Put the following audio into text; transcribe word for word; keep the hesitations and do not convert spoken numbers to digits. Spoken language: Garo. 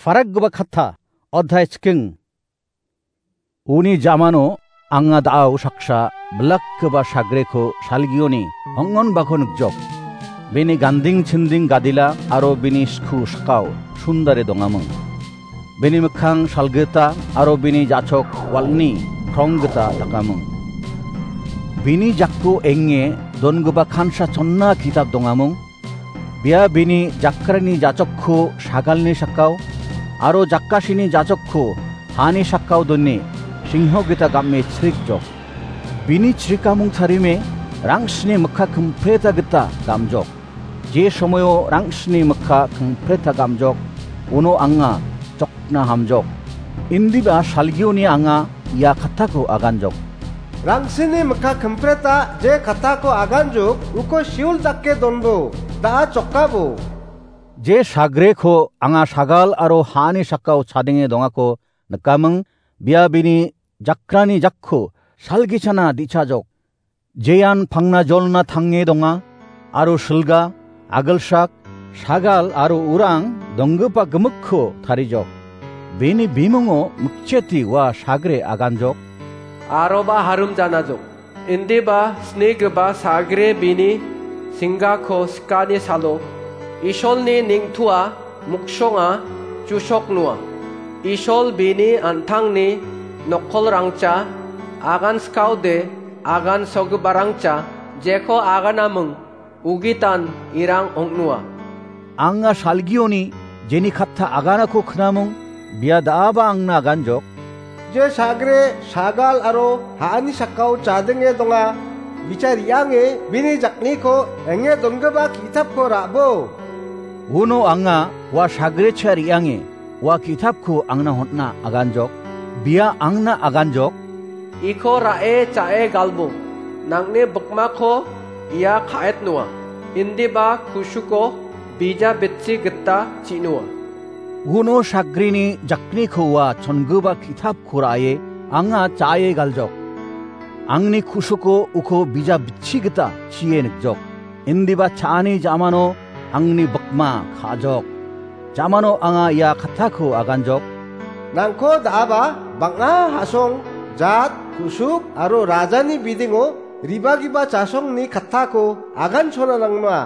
Parakgipa katta, odhai chiking. Uni jamano anga da·ao saksa bilakgipa sagreko salgioni ong·onbako nikjok. Bini ganding chinding gadila aro bini sku sakao sundare dongaming. Bini mikkang salgita aro bini jachok walni kronggita dakaming. Bini jako enge dongipa kansa chonna kitap dongaming. Bia bini jakrani jachokko sagalni sakao aro jakasini jachokko hani sakao done singho gita game chrikjok. Bini chrikamung tarime rangsni mikka kimpreta gita gamjok. Je somoio rangsni mikka kimpreta gamjok, uno anga jokna hamjok. Indiba salgioni anga ia kattako aganjok. Rangsini mikka kimpreta je kattako aganjok, uko siul dake donbo, da·a jokabo. Je sagreko anga sagal aro hani sakao chadenge dongako nikaming, bia bini jakrani jakko salgichana dichajok. Jean pangna jolna tange donga, aro silga, agilsak, sagal aro urang donggipa gimikko tarijok. Bini bimungo mikcheti ua sagre aganjok. Aroba harum janajok. Indiba snigipa sagre bini singgako sikani salo. Isolni ningtua muksonga chusok nua. Isol bini an·tangni nokkolrangcha agan skaode agan sogiparangcha jeko aganaming ugitan irang ong·nua. Anga salgioni jeni katta aganako knamung bia da·aba angna aganjok. Je sagre sagal aro ha·ani sakao chadenge donga, bicha re·ange bini jakniko enge dongipa ki·tapko ra·bo. Uno anga ua sagre cha re·ange ua ki·tapko angna hon·na aganjok, bia angna aganjok. Iko ra·e cha·e galbong, nang·ni bikmako ia ka·etnoa, indiba kusuko bija bitchi gita chi·noa. Uno sagrini jakniko ua chongipa ki·tapko ra·e anga cha·e galjok. Angni kusuko uko bija bitchi gita chie nikjok. Indiba cha·ani jamano angni bikma ka·jok. Jamano anga ia kattako aganjok. Nangko da·aba bang·a ha·song, jat, kusuk aro rajani bidingo ribagipa chasongni kattako agansona nangma.